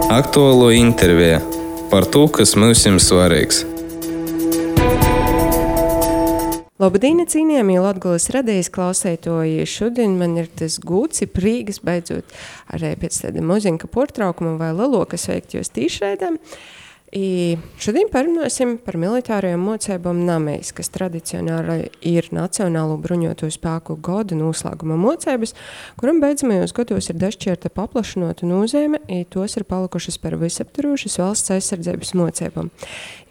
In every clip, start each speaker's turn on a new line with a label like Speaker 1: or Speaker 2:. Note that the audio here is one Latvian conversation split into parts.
Speaker 1: Aktuālo interviju par to, kas mums ir svarīgs.
Speaker 2: Labdien, cienījamie Latgulas radijas klausētoji! Šodien man ir tas gūts, prīgas beidzot arī pēc tāda mozinka portraukuma vai lelokas veikt jūs tīšraidām. Šodien parunāsim par militārajām mocībām Namejs, kas tradicionāli ir Nacionālo bruņoto spēku gada noslēguma mocības, kuram beidzamajos gados ir dažšķirta paplašinota nozīme, tos ir palikušas par visaptvarošas valsts aizsardzības mocībām.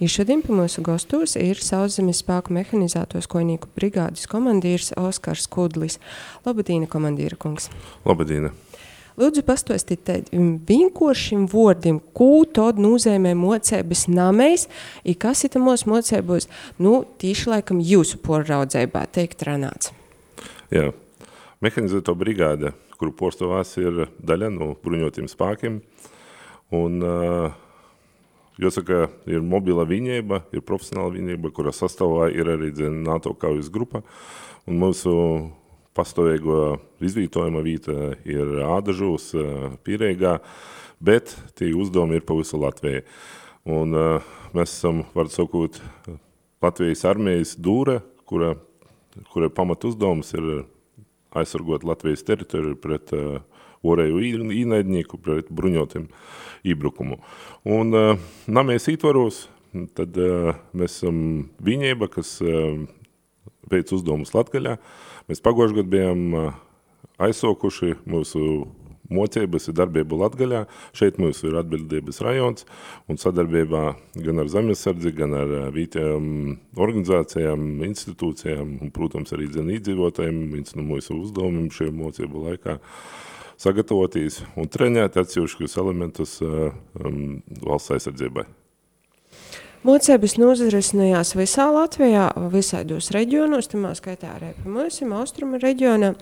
Speaker 2: Šodien pie mūsu gastos ir Sauszemes spēku mehanizētos kojnieku brigādes komandīrs Oskars Kudlis. Labdien, komandīra kungs!
Speaker 3: Labdien!
Speaker 2: Lūdzu, pastāstīt tādiem vienkāršiem vārdiem, ko tad nozīmē mocības Namejs, kas ir mūsu mocībos, tīši laikam jūsu poraudzībā teikt ranāts.
Speaker 3: Jā, mehanizēto brigāde, kuru porstāvās ir daļa no bruņotiem spēkiem, un jāsaka, ir mobila vienība, ir profesionāla vienība, kura sastāvā ir arī NATO kaujas grupa, un mūsu pastāvīgo izvietojuma vieta ir Ādažos, Pīreigā, bet tie uzdevumi ir pa visu Latviju. Un mēs esam, var sakot, Latvijas armijas dūre, kura pamat uzdevums ir aizsargot Latvijas teritoriju pret orēju īnaidnieku, pret bruņotiem iebrukumu. Un Namejs ietvaros, tad mēs esam vienība, kas veic uzdevumus Latgaļā. Mēs pagājušajā gadā bijām aizsokuši mūsu mocības ir darbību Latgaļā. Šeit mums ir atbildības rajons un sadarbībā gan ar zemesardzi, gan ar vietējām organizācijām, institūcijām un, protams, arī iedzīvotājiem. Viens no mūsu uzdevumiem šajā mocību laikā sagatavoties un trenēt atsevišķus elementus valsts aizsardzībai.
Speaker 2: Mocības nozarisinājās visā Latvijā, visādos reģionos, tamā skaitā arī pie mums, austrumu reģionā.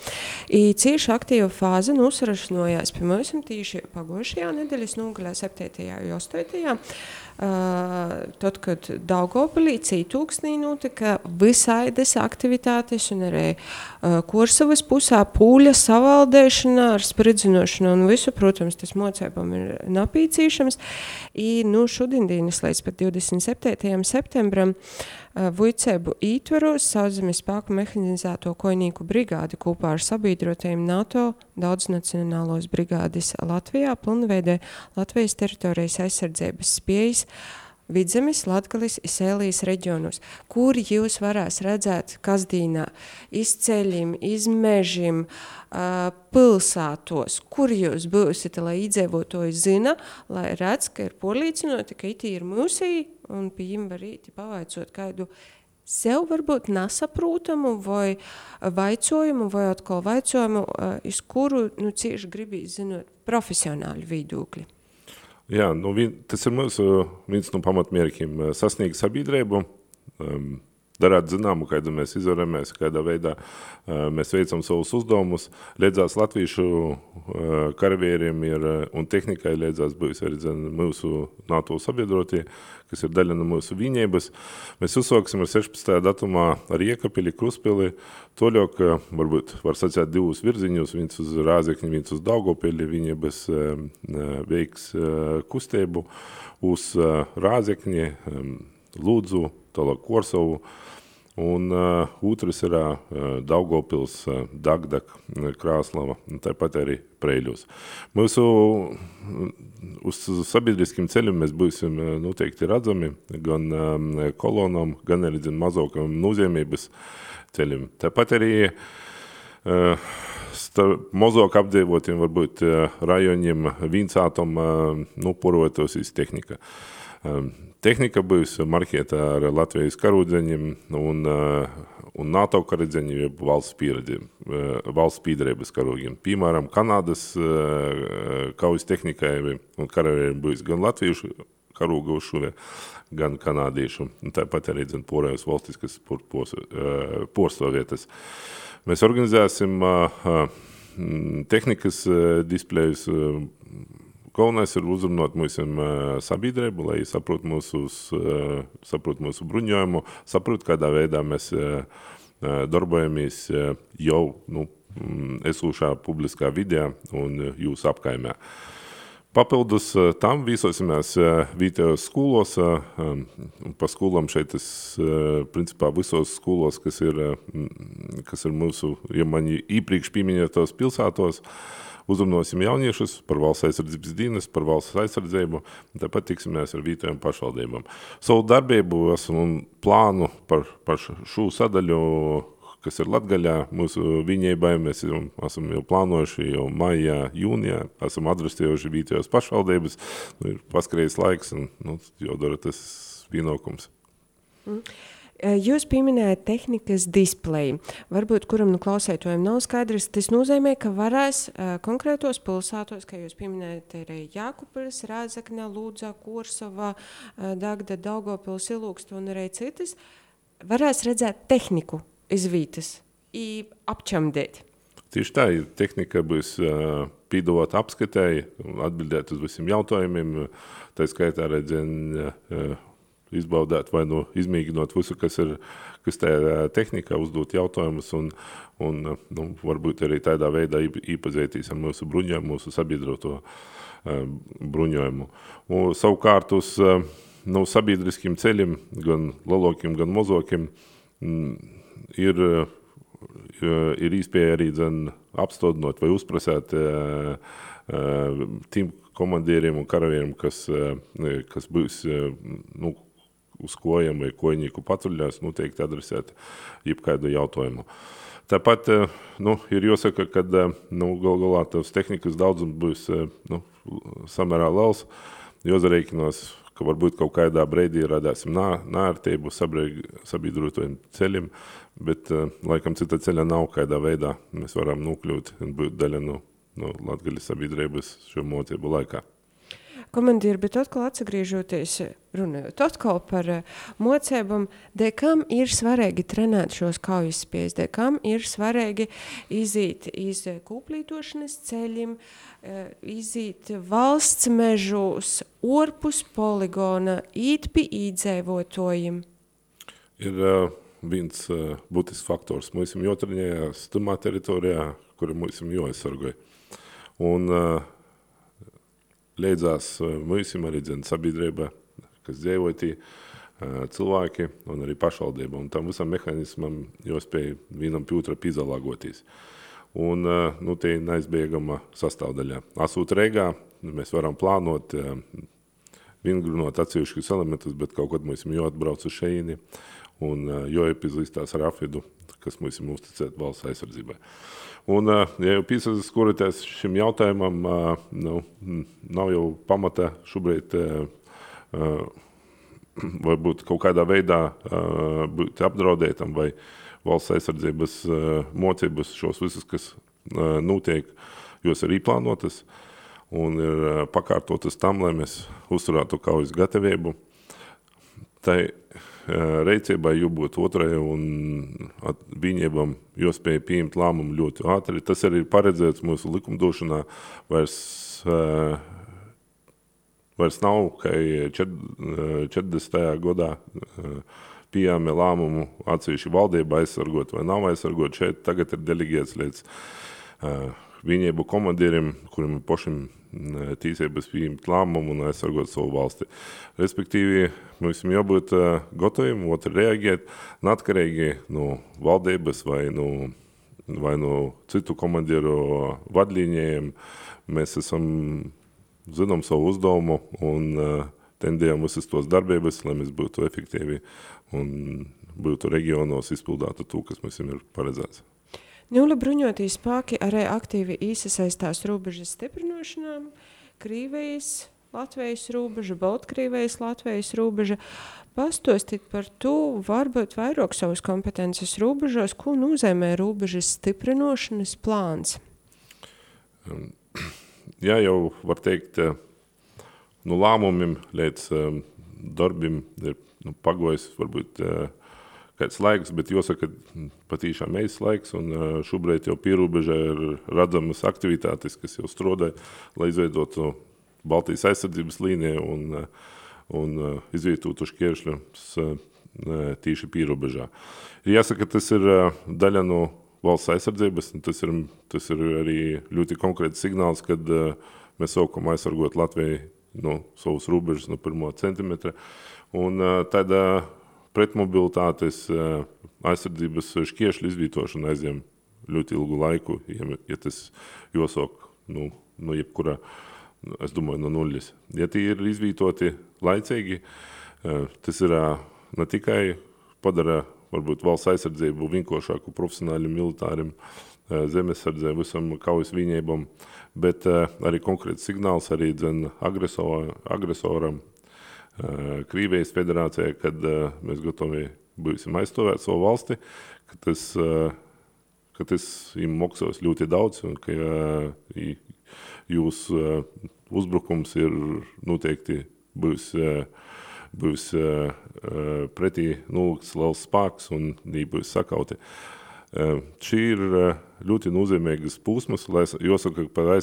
Speaker 2: Cieši aktīva fāze nozarisinājās pie mums tīši pagošajā nedēļas nogalē 7. un 8. Tad, kad Daugavpilī Cītūksnī notika visaidas aktivitātes un arī Kursavas pusā pūļa savaldēšana ar spridzinošanu un visu, protams, tas mocībām ir napīcīšams. Šodien dienas līdz pat 27. septembram Vujcēbu ītvaros Sauszemes spēku mehanizēto kojnieku brigādi kopā ar sabiedrotajiem NATO daudznacionālos brigādes Latvijā pilnveidē Latvijas teritorijas aizsardzības spējas Vidzemes, Latgalis, Sēlijas reģionos, kur jūs varēs redzēt kasdīnā izceļiem, izmežiem, pilsētos, kur jūs būsit, lai iedzīvotāji zina, lai redz, ka ir porlīcinoti, ka itī ir mūsī, un pie jiem var īti pavaicot kādu sev varbūt nesaprūtamu vai vaicojumu, vai atkal vaicojumu, iz kuru cieši gribīs zinot profesionāļu viedokļi.
Speaker 3: Jā, tas ir mūsu viens no pamatmērķiem sasniegt sabiedrību, darāt zināmu, kādu mēs izvaramies, kādā veidā mēs veicam savus uzdevumus. Līdzās latviešu karavēriem un tehnikai līdzās būs arī mūsu NATO sabiedrotie, kas ir daļa no mūsu vienības. Mēs uzsāksim ar 16. datumā ar Iekapili, Kruspili, toļok, varbūt var sacīt divus virziņus, viens uz Rāzekni, viens uz Daugavpili, vienības veiks kustību uz Rāzekni, Lūdzu, tālāk Korsavu, un otrs ir Daugavpils, Dagdak, Krāslava, un tāpat arī Preiļos. Mūsu uz sabiedriskiem ceļiem mēs būsim noteikti redzami, gan kolonam, gan arī mazākam nozīmības ceļiem. Tāpat arī mazāk apdzīvotiem varbūt rajoniem viensātom porotos tehnika. Tehnika būs marķēta ar Latvijas karūdzeņiem un NATO karūdzeņiem, jeb valsts pīdarības karūgiem. Piemēram, Kanādas kaujas tehnikai un karavēriem būs gan latviešu karūga uzšuvē, gan kanādiešu. Tāpat arī porējos valstiskas porstovietas. Mēs organizēsim tehnikas displejus. Galvenais ir uzrunāt mūsu sabiedrību, lai saprot mūsu bruņojumu, saprot, kādā veidā mēs darbojamies jau esošā publiskā vidē un jūsu apkaimē. Papildus tam vīsosimies vietējos skolos, pa skolām šeit principā visos skolos, kas ir mūsu, ja man īpriekš pieminētos pilsētos, uzrunāsim jauniešus par valsts aizsardzības dienas, par valsts aizsardzību, un tāpat tiksimies ar vietējām pašvaldībām. Savu darbību un plānu par šo sadaļu, kas ir Latgaļā, mūsu viņībai, mēs esam jau plānojuši jau maijā, jūnijā, esam adresējuši vietējos pašvaldības, ir paskrējis laiks un jādara tas pienākums.
Speaker 2: Jūs pieminējat tehnikas displeju. Varbūt, kuram klausētojiem nav skaidrs, tas nozīmē, ka varēs konkrētos pilsētos, kā jūs pieminējat, arī Jākupils, Rāzakne, Lūdza, Kursava, Dagda, Daugavpils, Ilūksta un arī citas, varēs redzēt tehniku iz vītas i apčamdēt.
Speaker 3: Tieši tā, tehnika būs pīdot apskatēji un atbildēt uz visiem jautājumiem, tā skaitā izbaudēt vai izmēģinot visu, kas tajā tehnikā uzdot jautājumus un varbūt arī tādā veidā īpazētīs ar mūsu bruņojumu, mūsu sabiedroto bruņojumu. Un savukārt uz sabiedriskiem ceļiem, gan lielākiem, gan mazokiem, ir īspēja arī apstādinot vai uzprasēt tiem komandieriem un karavīriem, kas būs uz kojiem vai kojnieku patruļās, noteikti adresēt jebkādu jautājumu. Tāpat ir jāsaka, ka galā tavs tehnikas daudzums būs samērā liels, jāsareikinās, ka varbūt kaut kādā brīdī radāsim nērtību sabiedrotajiem ceļiem, bet laikam cita ceļa nav, kādā veidā mēs varam nokļūt un būt daļa no Latgaļas sabiedrības šo mocību laikā.
Speaker 2: Komandīri, bet atkal atsagriežoties, runājot atkal par mocībām, kam ir svarīgi trenēt šos kaujas spējas, kam ir svarīgi izīt iz kūplītošanas ceļiem, izīt valsts mežos, orpus poligona, īt pie īdzēvotojiem.
Speaker 3: Ir viens būtisks faktors. Mēs esam jotrenējās tumā teritorijā, kura mēs esam jāaizsargoja. Un leidzās mūsim arī sabiedrība, kas dzīvotī, cilvēki un arī pašvaldība. Un tam visam mehānismam jāspēj vienam pie otra pīzalāgoties. Un tie neizbēgama sastāvdaļā. Asūt Reigā mēs varam plānot, vingrunot atsevišķus elementus, bet kaut kad mēs jāatbrauc uz šeini un jāiepazīstās ar afidu, kas mums ir uzticēt valsts aizsardzībai. Un, ja jau piesaistās šim jautājumam, nav jau pamata šobrīd varbūt kaut kādā veidā būt apdraudētam vai valsts aizsardzības mocības šos visus, kas notiek, jos ir īplānotas un ir pakārtotas tam, lai mēs uzturētu kaujas gatavību. Tai reicībai jābūt otrai un viņiem jāspēj pieņemt lēmumu ļoti ātri. Tas arī ir paredzēts mūsu likumdošanā. Vairs nav, ka 40. gadā pieejami lēmumu atsevišķi valdība aizsargot vai nav aizsargot. Šeit tagad ir delegēts līdz viņiem komandieriem, kuriem ir pašiem tīsības pieņemt lēmumu un aizsargot savu valsti. Respektīvi, mums jābūt gataviem, otri reaģēt, neatkarīgi no valdības vai no citu komandieru vadlīnijiem. Mēs zinām savu uzdevumu un tendējam visas tos darbības, lai mēs būtu efektīvi un būtu reģionos izpildātu to, kas mums ir paredzēts.
Speaker 2: Nula bruņotī spēki arī aktīvi iesaistās robežas stiprināšanā, Krīvijas, Latvijas robeža, Baltkrievijas, Latvijas robeža. Pastostīt par to, varbūt vairāk savas kompetences robežos, ko nozīmē robežas stiprināšanas plāns?
Speaker 3: Jā, jau var teikt, no lēmumiem līdz darbim ir pagojis varbūt kāds laiks, bet jāsaka, patīšām eis laiks, un šobrīd jau pierobežā ir redzamas aktivitātes, kas jau strādā, lai izveidotu Baltijas aizsardzības līniju un izvietotu šķēršļus tīši pierobežā. Jāsaka, tas ir daļa no valsts aizsardzības, un tas ir arī ļoti konkrēts signāls, kad mēs sākam aizsargot Latviju no savus robežas no 1 centimetra. Un tāda pretmobilitātes aizsardzības šķiešļu izvītošana aizņem ļoti ilgu laiku, ja tas jāsāk no jebkura, es domāju, no nulles. Ja tie ir izvītoti laicīgi, tas ir ne tikai padara varbūt valsts aizsardzību vienkāršāku profesionāļiem, militāriem, zemesardzē, visam kaujas vienībam, bet arī konkrēts signāls arī agresoram, Krīvijas federācijai, kad mēs gatavi būsim aizstāvēt savu valsti, ka tas им maksās ļoti daudz un ka jūs uzbrukums ir noteikti būs pretī nullikts liels spēks un būs sakauti. Šī ir ļoti nozīmīgas posmas, jāsaka, ka par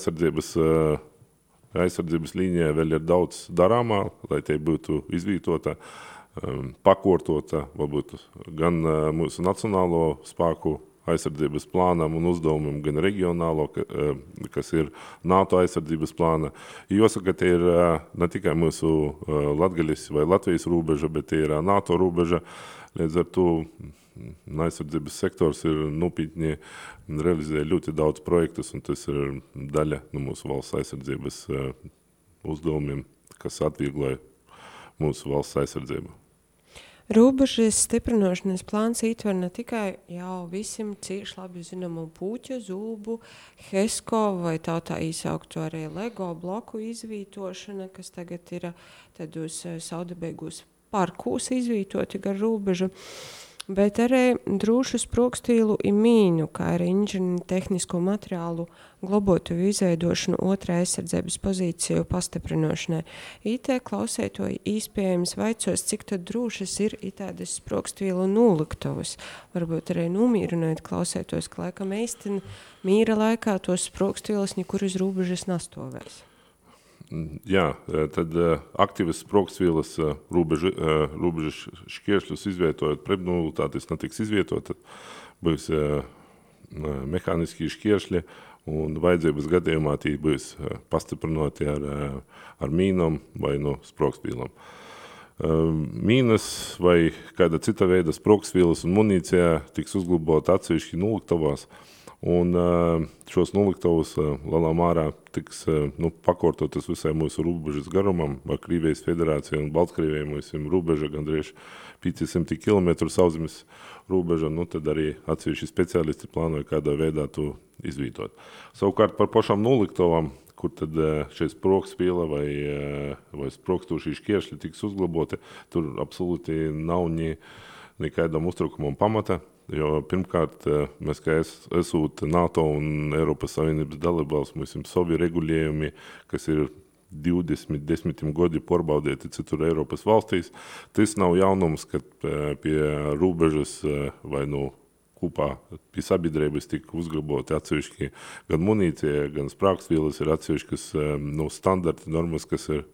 Speaker 3: aizsardzības līnijā vēl ir daudz darāmā, lai tie būtu izvītota, pakortota, varbūt gan mūsu nacionālo spēku aizsardzības plānam un uzdevumam, gan reģionālo, kas ir NATO aizsardzības plāna. Jāsaka, tie ir ne tikai mūsu Latgaļas vai Latvijas robeža, bet tie ir NATO robeža. Līdz ar to aizsardzības sektors ir nopietni realizē ļoti daudz projektus, un tas ir daļa no mūsu valsts aizsardzības uzdevumiem, kas atviegloja mūsu valsts aizsardzību.
Speaker 2: Robežas stiprināšanas plāns ietver ne tikai jau visiem cieši labi zināmu puķu, zūbu, HESCO vai tā īsauktu arī LEGO bloku izvītošana, kas tagad ir tādos saudabīgos parkūs izvītoti gar robežu, bet arī drošu sprokstīlu i mīnu, kā arī inženieri tehnisko materiālu globotu izveidošanu otrā aizsardzības pozīciju pastiprinošanai. IT klausētoji īspējams vaicos, cik tad drošas ir tādas sprokstīlu noliktavas. Varbūt arī nomīrināt klausētos, ka laikam īsti mīra laikā tos sprokstīlus nekur uz robežas nastovēs.
Speaker 3: Jā, tad aktīvas sprogstvīlas robežas šķiešļus izvietojot pretmobilitātes netiks izvietota, būs mehāniski šķiešļi un vajadzības gadījumā tie būs pastiprinoti ar mīnām vai no sprogstvīlām. Mīnas vai kāda cita veida sprogstvīlas un munīcija tiks uzglabāta atsevišķi noliktavās, un šos noliktavus lielā mērā tiks pakortotas visai mūsu robežas garumam ar Krīvijas federāciju un Baltkrieviju. Mums ir robeža gandrīz 500 km sauszemes robeža, tad arī atsevišķi speciālisti plānoja kādā veidā to izvītot. Savukārt par pašām noliktavām, kur tad šeit sprogstviela vai sprogstošie šķiešļi tiks uzglaboti, tur absolūti nav nekādam uztrukumam pamata. Jo pirmkārt, mēs kā esot NATO un Eiropas Savienības dalībvalsts, mums ir savi regulējumi, kas ir 10 gadi porbaudēti citur Eiropas valstīs. Tas nav jaunums, kad pie robežas vai kopā pie sabiedrības tika uzglabāti atsevišķi gan munīcija, gan sprāgstvielas ir atsevišķas standarti normas, kas ir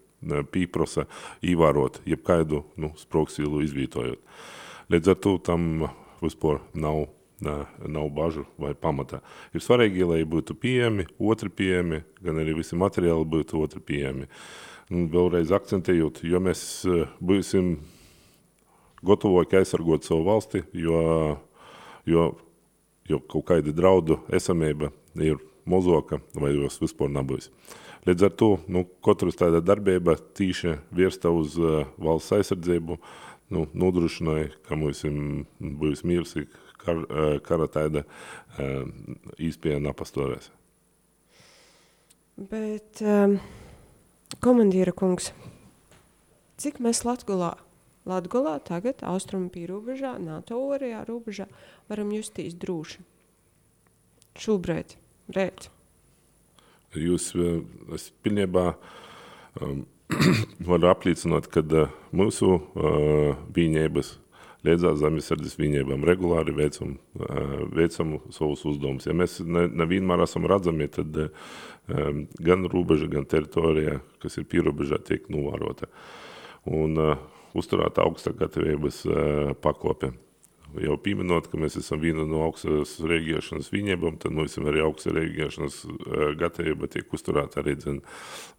Speaker 3: pīprosa īvārot, jebkaidu sprogstvīlu izvītojot. Līdz ar to tam vispār nav bažu vai pamata. Ir svarīgi, lai būtu pieejami, otri pieejami, gan arī visi materiāli būtu otri pieejami. Vēlreiz akcentējot, jo mēs būsim gatavoki aizsargot savu valsti, jo kaut kāda draudu esamība ir mozoka vai jos vispār nebūs. Līdz ar to katrs tāda darbība tīši vērsta uz valsts aizsardzību, nodrošināja, ka mums būs miers, kara tāda īspēja nepastāvēs.
Speaker 2: Bet, komandīra kungs, cik mēs Latgolā tagad, austrumu pīrobežā, NATO orajā robežā, varam justīs droši? Šobrīd, rēt.
Speaker 3: Es pilnībā varu apliecināt, ka mūsu vienības līdzās zemesardzes vienībām regulāri veicam savus uzdevumus. Ja mēs nevienmēr esam redzami, tad gan robeža, gan teritorija, kas ir pīrobežā, tiek novērota. Un uzturēt augstā gatavības pakope. jau pieminot, ka mēs esam viena no augstas reaģēšanas viņībām, tad mums arī augsta reaģēšanas gatavība tiek uzturēta arī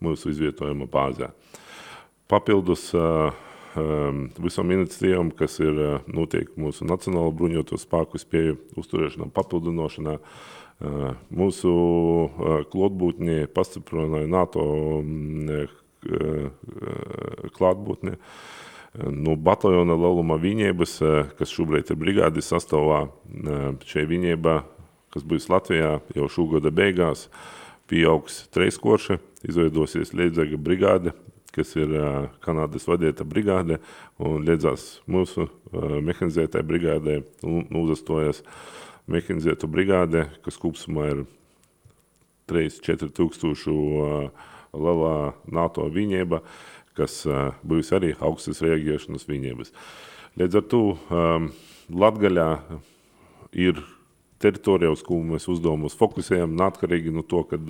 Speaker 3: mūsu izvietojuma bāzē. Papildus visam iniciatīvam, kas ir notiek mūsu Nacionālo bruņoto spēku spēju uzturēšanā, papildinošanā, mūsu klātbūtnē pastiprināja NATO klātbūtnē. No bataljona lieluma viņības, kas šobrīd ir brigādes sastāvā, šai viņībā, kas būs Latvijā jau šogada beigās, pieaugs treiskorši, izveidosies Liedzaga brigāde, kas ir Kanādas vadīta brigāde, un liedzās mūsu mehanizētai brigādē un uzastojas mehanizētu brigāde, kas kopsumā ir 3-4 tūkstošu lielā NATO viņība, kas būs arī augstas reaģēšanas viņības. Līdz ar to Latgaļā ir teritorija, uz ko mēs uzdevumus fokusējam, neatkarīgi no to, kad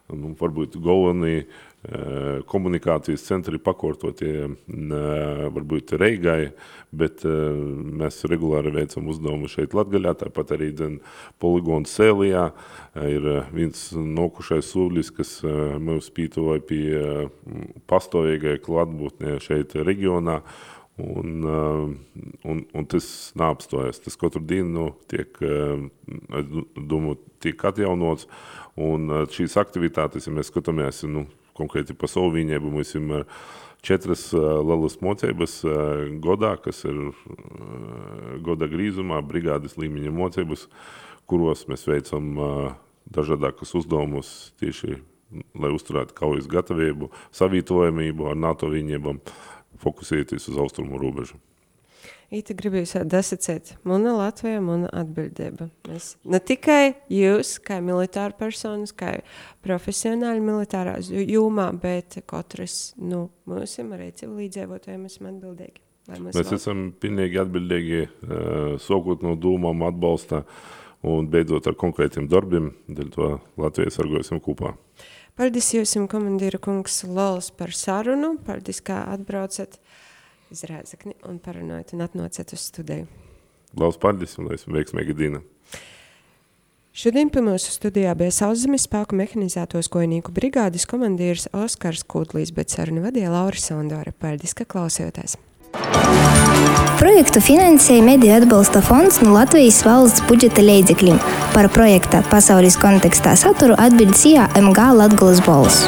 Speaker 3: varbūt galvenie komunikācijas centri pakortotie varbūt Reigai, bet mēs regulāri veicam uzdevumu šeit Latgaļā, tāpat arī poligons Sēlijā ir viens nokušais sūļis, kas mums pītoja pie pastāvīgai klātbūtnē šeit reģionā, un tas neapstojas. Tas katru dienu tiek atjaunots, un šīs aktivitātes, ja mēs skatāmies, konkrēti pa savu viņību, mums ir 4 lielas mocības godā, kas ir goda grīzumā, brigādes līmeņa mocības, kuros mēs veicam dažādākas uzdevumus tieši, lai uzturētu kaujas gatavību, savītojamību ar NATO viņībām, fokusēties uz austrumu robežu.
Speaker 2: Ita gribu jūs dasacēt, mana Latvija, mana atbildība. Mēs ne tikai jūs, kā militāra personas, kā profesionāli militārā jomā, bet katrs, mūsim arī civilīdzēvotājiem esam atbildīgi.
Speaker 3: Mēs esam pilnīgi atbildīgi, sākot no dūmām atbalsta un beidzot ar konkrētiem darbiem, dēļ to Latviju sargosim kopā.
Speaker 2: Paldies jūsim, komandīra kungs Lols, par sarunu, paldies, kā atbraucat iz Rēzekni un parunājot un atnācat uz studiju.
Speaker 3: Laus paldies un esmu veiksmīgi Dīna.
Speaker 2: Šodien pie mūsu studijā bija Sauszemes spēku mehanizētos kojnieku brigādes komandīrs Oskars Kūdlīs, bet sarunu vadīja Laura Sondore. Paldies, ka klausījāties.
Speaker 4: Projektu finansēja Mediju atbalsta fonds no Latvijas valsts budžeta līdzekļiem. Par projekta pasaules kontekstā saturu atbild SIA MG Latgolas balss.